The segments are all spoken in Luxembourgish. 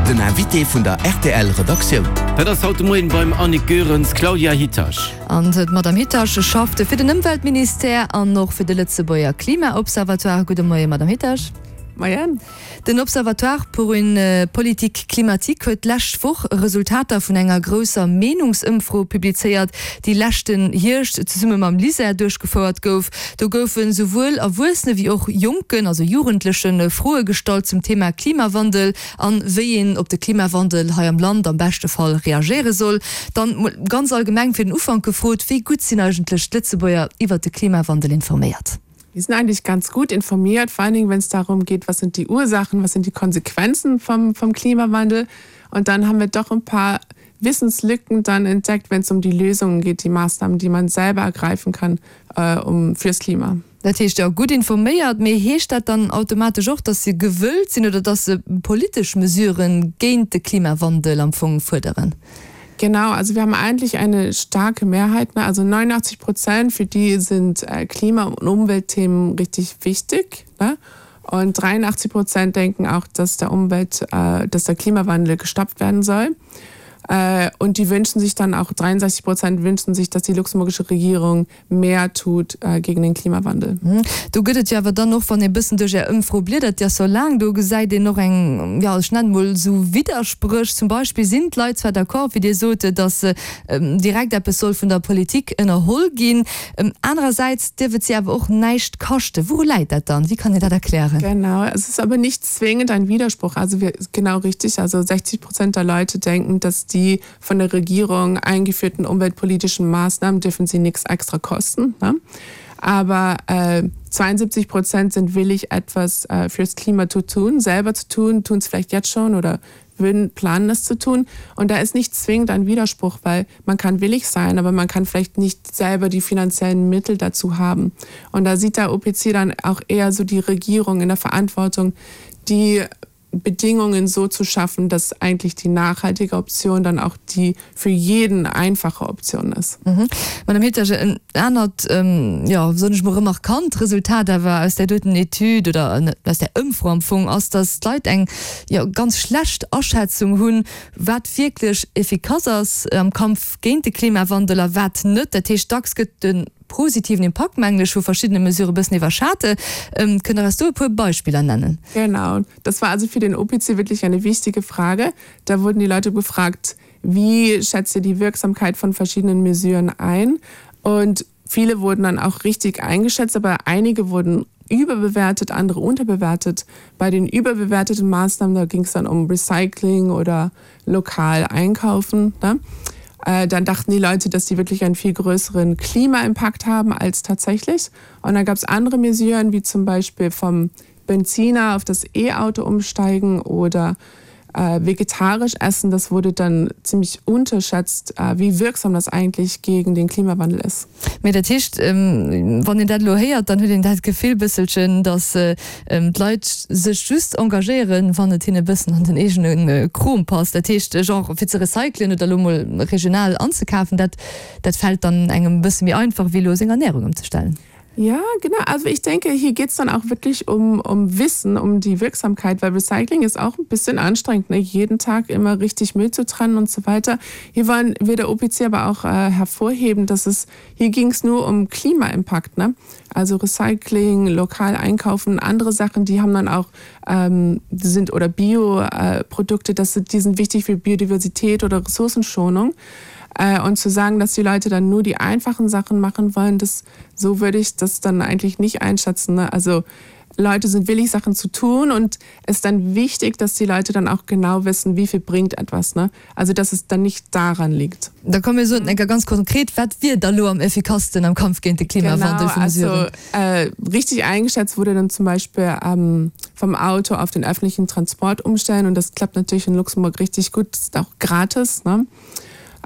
Den Invité vun der rtl Redaktioun. Dat ass haut de Moien beim Annick Goerens d'Claudia Hitasch. An d'Madame Hitasch schafft fir den Ëmweltministère an och fir de Lëtzebuerger Klimaobservatoire. Gudde Moien, Madame Hitasch. Moien. Den Observatoire pour une politique climatique huet d'lescht Woch Resultater vun enger grousser Meenungsëmfro publizéiert, déi leschten Hierscht zesumme mam LISER duerchgefouert gouf. Do goufe souwuel Erwuessene wéi och Jonken, also Jugendleche Froe gestallt zum Thema Klimawandel an wéi een op de Klimawandel hei am Land am beschte Fall reagéiere soll. Dann mol ganz allgemeng fir den Ufank gefrot, Wéi gutt sinn eigentlech d'Lëtzebuerger iwwert de Klimawandel informéiert? Die sind eigentlich ganz gut informiert, vor allen Dingen, wenn es darum geht, was sind die Ursachen, was sind die Konsequenzen vom, vom Klimawandel. Und dann haben wir doch ein paar Wissenslücken dann entdeckt, wenn es um die Lösungen geht, die Maßnahmen, die man selber ergreifen kann äh, um, fürs Klima. Dat heescht, jo, gutt informéiert, mee heescht dat dann automatesch och, datt se gewëllt sinn oder datt se politesch Mesuren géint de Klimawandel am Fong fuerderen? Genau, also wir haben eigentlich eine starke Mehrheit, ne? also 89 Prozent, für die sind äh, Klima- und Umweltthemen richtig wichtig. Ne? Und 83 Prozent denken auch, dass der Umwelt, äh, dass der Klimawandel gestoppt werden soll. Äh, und die wünschen sich dann auch 63 Prozent wünschen sich, dass die luxemburgische Regierung mehr tut äh, gegen den Klimawandel. Mhm. Do gëtt et jo awer dann och, wann ee bëssen duerch Är Ëmfro bliedert, déi ass jo laang, do gesäit een och eng, jo ech nennen emol esou Widderspréch. Zum Beispill sinn d'Leit zwar d'accord, wéi Dir sot, datt direkt eppes soll vun der Politik ënnerholl ginn, anerersäits dierf et si awer och näischt kaschten. Wouru läit dat dann? Wéi kann een dat erklären? Genau, es ist aber nicht zwingend ein Widerspruch. Also wir, genau richtig, also 60 Prozent der Leute denken, dass die von der Regierung eingeführten umweltpolitischen Maßnahmen dürfen sie nichts extra kosten. Ne? Aber äh, 72 Prozent sind willig, etwas äh, fürs Klima zu tun, selber zu tun, tun es vielleicht jetzt schon oder würden planen, es zu tun. Und da ist nicht zwingend ein Widerspruch, weil man kann willig sein, aber man kann vielleicht nicht selber die finanziellen Mittel dazu haben. Und da sieht der OPC dann auch eher so die Regierung in der Verantwortung, die Bedingungen so zu schaffen, dass eigentlich die nachhaltige Option dann auch die für jeden einfache Option ist. Mhm. Madame Hetterge, en anert, jo, soen ech mol, remarkant Resultat awer aus där doten Etüd oder aus där Ëmfro am Fong ass, dass d'Leit eng, jo, ganz schlecht Aschätzung hunn, wat wierklech effikass ass am Kampf géint de Klimawandel a wat net. Dat heescht, dacks gëtt de positiven Impakt, mengen ech, vu verschiddene Mesure e bëssen iwwerschat. Kënnt Der eis do e puer Beispiller nennen? Genau, das war also für den OPC wirklich eine wichtige Frage. Da wurden die Leute befragt, wie schätzt ihr die Wirksamkeit von verschiedenen Mesuren ein? Und viele wurden dann auch richtig eingeschätzt, aber einige wurden überbewertet, andere unterbewertet. Bei den überbewerteten Maßnahmen, da ging es dann um Recycling oder lokal einkaufen. Ne? Äh, dann dachten die Leute, dass sie wirklich einen viel größeren Klimaimpact haben als tatsächlich. Und dann gab es andere Mesuren, wie zum Beispiel vom Benziner auf das E-Auto umsteigen oder äh, vegetarisch essen. Das wurde dann ziemlich unterschätzt, äh, wie wirksam das eigentlich gegen den Klimawandel ist. Mee dat heescht, wann een dat elo héiert, dann huet een dat Gefill bësselchen, datt d'Leit sech just engagéieren, wann et hinne bëssen an den eegene Krom passt. Dat heescht, genre fir ze recyclen oder elo mol regional anzekafen, dat dat fält dann engem e bësse méi einfach, wéi elo seng Ernärung ëmzestellen. Ja, genau. Also ich denke, hier geht es dann auch wirklich um, um Wissen, um die Wirksamkeit, weil Recycling ist auch ein bisschen anstrengend, ne? jeden Tag immer richtig Müll zu trennen und so weiter. Hier wollen wir der OPC aber auch äh, hervorheben, dass es hier ging es nur um Klimaimpact, ne? Also Recycling, lokal einkaufen, andere Sachen, die haben dann auch ähm, sind oder Bioprodukte, das sind, die sind wichtig für Biodiversität oder Ressourcenschonung. Äh, und zu sagen, dass die Leute dann nur die einfachen Sachen machen wollen, das so würde ich das dann eigentlich nicht einschätzen. Ne? Also Leute sind willig, Sachen zu tun und es ist dann wichtig, dass die Leute dann auch genau wissen, wie viel bringt etwas. Ne? Also dass es dann nicht daran liegt. Da komme mir so enker ganz konkret, wat wier da lo am effikassten am Kampf géint de Klimawandel Genau, vu also Mesuren? äh, richtig eingeschätzt wurde dann zum Beispiel ähm, vom Auto auf den öffentlichen Transport umstellen und das klappt natürlich in Luxemburg richtig gut, das ist auch gratis. Ne?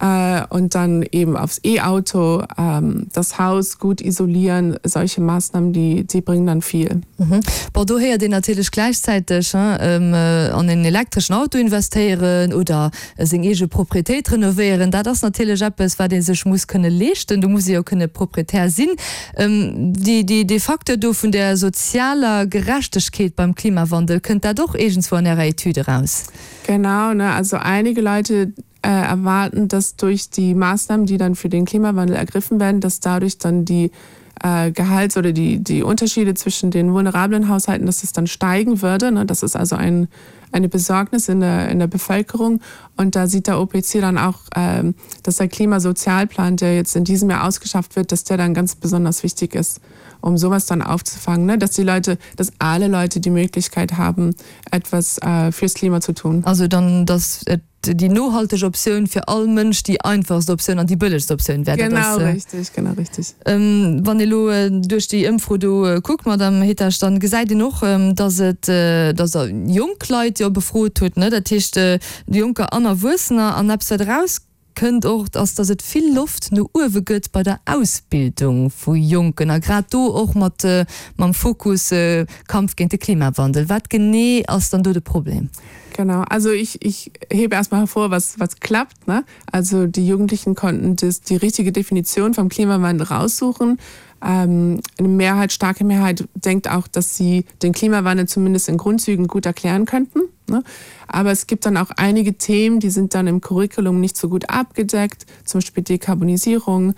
Äh, und dann eben aufs E-Auto, ähm, das Haus gut isolieren, solche Maßnahmen, die, die bringen dann viel. Mhm. Bon, do héiert een natierlech gläichzäiteg, hein, an en elektreschen Auto investéieren oder seng eege Proprietéit renovéieren, dat ass natierlech eppes, wat ee sech muss kënne leeschten. Do muss ee jo kënne Proprietär sinn. Déi, déi, dee Facteur do vun der sozialer Gerechtegkeet beim Klimawandel, kënnt dat och iergendswou an Ärer Etüd eraus? Genau, ne, also einige Leute äh, erwarten, dass durch die Maßnahmen, die dann für den Klimawandel ergriffen werden, dass dadurch dann die äh, Gehalts- oder die, die Unterschiede zwischen den vulnerablen Haushalten, dass es dann steigen würde. Ne? Das ist also ein, eine Besorgnis in der, in der Bevölkerung. Und da sieht der OPC dann auch, ähm, dass der Klimasozialplan, der jetzt in diesem Jahr ausgeschafft wird, dass der dann ganz besonders wichtig ist, um sowas dann aufzufangen, ne? dass die Leute, dass alle Leute die Möglichkeit haben, etwas äh, fürs Klima zu tun. Also dann dass et déi nohalteg Optioun fir all Mënsch déi einfachst Optioun an déi bëllegst Optioun wär. Genau richtig, genau richtig. Wann ee lo duerch déi Ëmfro do kuckt, Madamm Hetasch, dann gesäit een och, dass et, dass Der jonk Leit jo befrot hutt, ne? Dat heescht Jonker an Erwuessener. An eppes wat erauskënnt och, ass, dass et vill Loft no uewe gëtt bei der Ausbildung vu Jonken a grad do och mat mam Fokus Kampf géint de Klimawandel. Wat genee ass dann do de Problem? Genau, also ich, ich hebe erstmal hervor, was, was klappt. Ne? Also die Jugendlichen konnten das, die richtige Definition vom Klimawandel raussuchen. Ähm, eine Mehrheit, starke Mehrheit denkt auch, dass sie den Klimawandel zumindest in Grundzügen gut erklären könnten. Ne? Aber es gibt dann auch einige Themen, die sind dann im Curriculum nicht so gut abgedeckt, zum Beispiel Dekarbonisierung.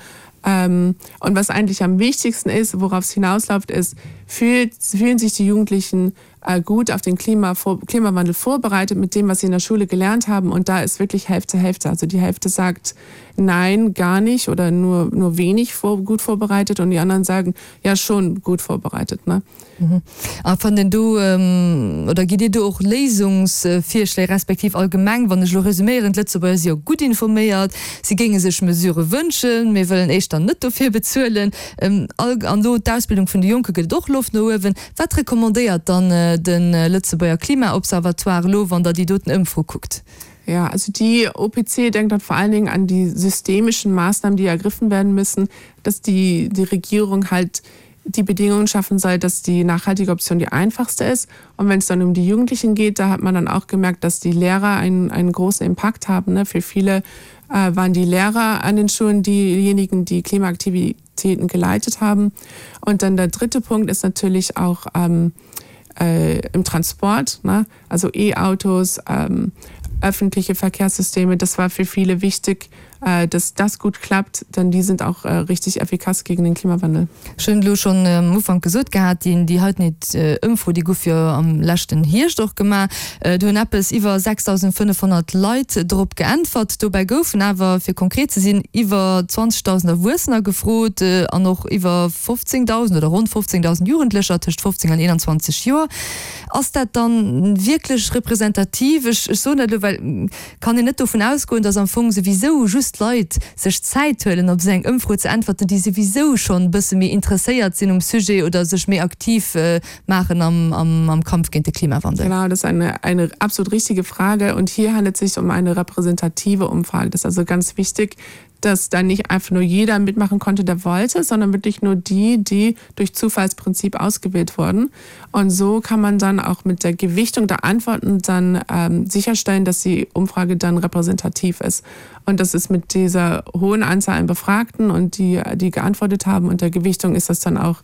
Ähm, und was eigentlich am wichtigsten ist, worauf es hinausläuft, ist, fühlt, fühlen sich die Jugendlichen, Äh, gut auf den Klima vor, Klimawandel vorbereitet mit dem, was sie in der Schule gelernt haben. Und da ist wirklich Hälfte Hälfte. Also die Hälfte sagt nein, gar nicht oder nur, nur wenig vor, gut vorbereitet und die anderen sagen ja schon gut vorbereitet. Ne? Mhm. A fannt een do, oder gitt Dir do och Léisungsvirschléi, respektiv allgemeng, wann ech elo resuméieren, d'Lëtzebuerger si jo gutt informéiert, si géinge sech Mesurë wënschen, mee wëllen éischter net dofir bezuelen. An do d'Ausbildung vun de Jonke gëtt et och Loft no uewen. Wat recommandéiert dann de Lëtzebuerger Klimaobservatoire elo, wann Der déi doten Ëmfro kuckt? Ja, also die OPC denkt dann vor allen Dingen an die systemischen Maßnahmen, die ergriffen werden müssen, dass die, die Regierung halt die Bedingungen schaffen soll, dass die nachhaltige Option die einfachste ist. Und wenn es dann um die Jugendlichen geht, da hat man dann auch gemerkt, dass die Lehrer einen, einen großen Impact haben. Ne? Für viele äh, waren die Lehrer an den Schulen diejenigen, die Klimaaktivitäten geleitet haben. Und dann der dritte Punkt ist natürlich auch ähm, äh, im Transport, ne? also E-Autos, ähm, öffentliche Verkehrssysteme. Das war für viele wichtig, äh, dass das gut klappt, denn die sind auch äh, richtig effikas gegen den Klimawandel. Ech hunn et elo schonn am Ufank gesot gehat, déi déi heiten Ëmfro, déi gouf jo am leschten Hierscht och gemaach. Do hunn eppes iwwer 6.500 Leit drop geäntwert. Dobäi goufen awer, fir konkret ze sinn, iwwer 20.000 Erwuessener gefrot an och iwwer 15.000 oder ronn 15.000 Jugendlecher tëscht 15 an 21 Joer. Ass dat dann wierklech representativ? Ech soen dat elo, well kann een net dovun ausgoen, datt am Fong souwisou just Leit sech Zäit huelen, op esou eng Ëmfro ze äntwerten, déi souwisou schonn e bësse méi interesséiert sinn um Sujet oder sech méi aktiv maachen am Kampf géint de Klimawandel? Genau, das ist eine, eine absolut richtige Frage. Und hier handelt es sich um eine repräsentative Umfrage. Das ist also ganz wichtig, dass da nicht einfach nur jeder mitmachen konnte, der wollte, sondern wirklich nur die, die durch Zufallsprinzip ausgewählt wurden. Und so kann man dann auch mit der Gewichtung der Antworten dann ähm, sicherstellen, dass die Umfrage dann repräsentativ ist. Und das ist mit dieser hohen Anzahl an Befragten und die, die geantwortet haben und der Gewichtung ist das dann auch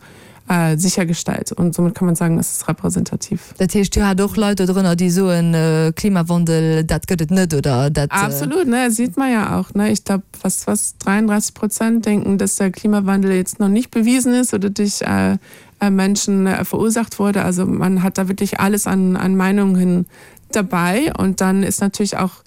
äh, sichergestellt. Und somit kann man sagen, es ist repräsentativ. Dat heescht, Dir hat och Leit do drënner, déi soen, Klimawandel, dat gëtt et net oder dat. Absolut, ne, sieht man ja auch, ne. Ich glaub, was, was 33 Prozent denken, dass der Klimawandel jetzt noch nicht bewiesen ist oder durch äh, äh, Menschen äh, verursacht wurde. Also man hat da wirklich alles an, an Meinungen dabei. Und dann ist natürlich auch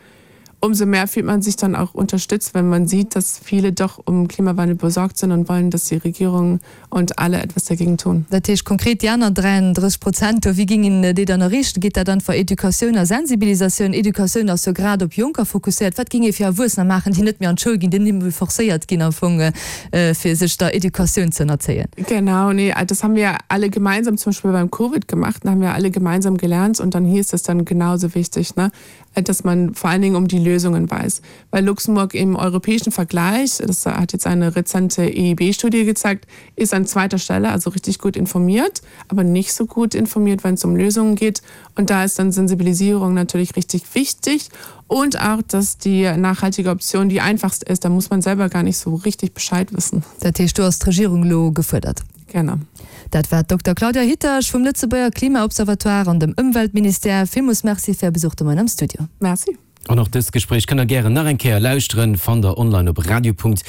umso mehr fühlt man sich dann auch unterstützt, wenn man sieht, dass viele doch um Klimawandel besorgt sind und wollen, dass die Regierung und alle etwas dagegen tun. Dat heescht konkret, déi aner 33 Prozent do, wéi géing een déi dann erreechen? Geet dat einfach Educatioun a Sensibilisatioun? Educatioun ass jo grad op Jonker fokusséiert. Wat géing ee fir Erwuessener maachen, déi net méi an d'Schoul ginn, déi net méi forcéiert ginn am Fong, fir sech der Educatioun ze ënnerzéien? Genau, nee, das haben wir alle gemeinsam zum Beispiel beim Covid gemacht, da haben wir alle gemeinsam gelernt und dann hieß das dann genauso wichtig, ne? Äh, dass man vor allen Dingen um die Lösung. Lösungen weiß. Weil Luxemburg im europäischen Vergleich, das hat jetzt eine rezente EIB-Studie gezeigt, ist an zweiter Stelle, also richtig gut informiert, aber nicht so gut informiert, wenn es um Lösungen geht. Und da ist dann Sensibilisierung natürlich richtig wichtig und auch, dass die nachhaltige Option die einfachste ist, da muss man selber gar nicht so richtig Bescheid wissen. Dat heescht, do ass d'Regierung elo gefuerdert. Genau. Dat war d'Dokter Claudia Hitasch vum Lëtzebuerger Klimaobservatoire an dem Ëmweltministère. Villmools Merci fir Är Besuch de Moien am Studio. Merci. An och dëst Gespréich kënnt der gären nach eng Kéier lauschteren, fannt der online op radio.rtl.lu.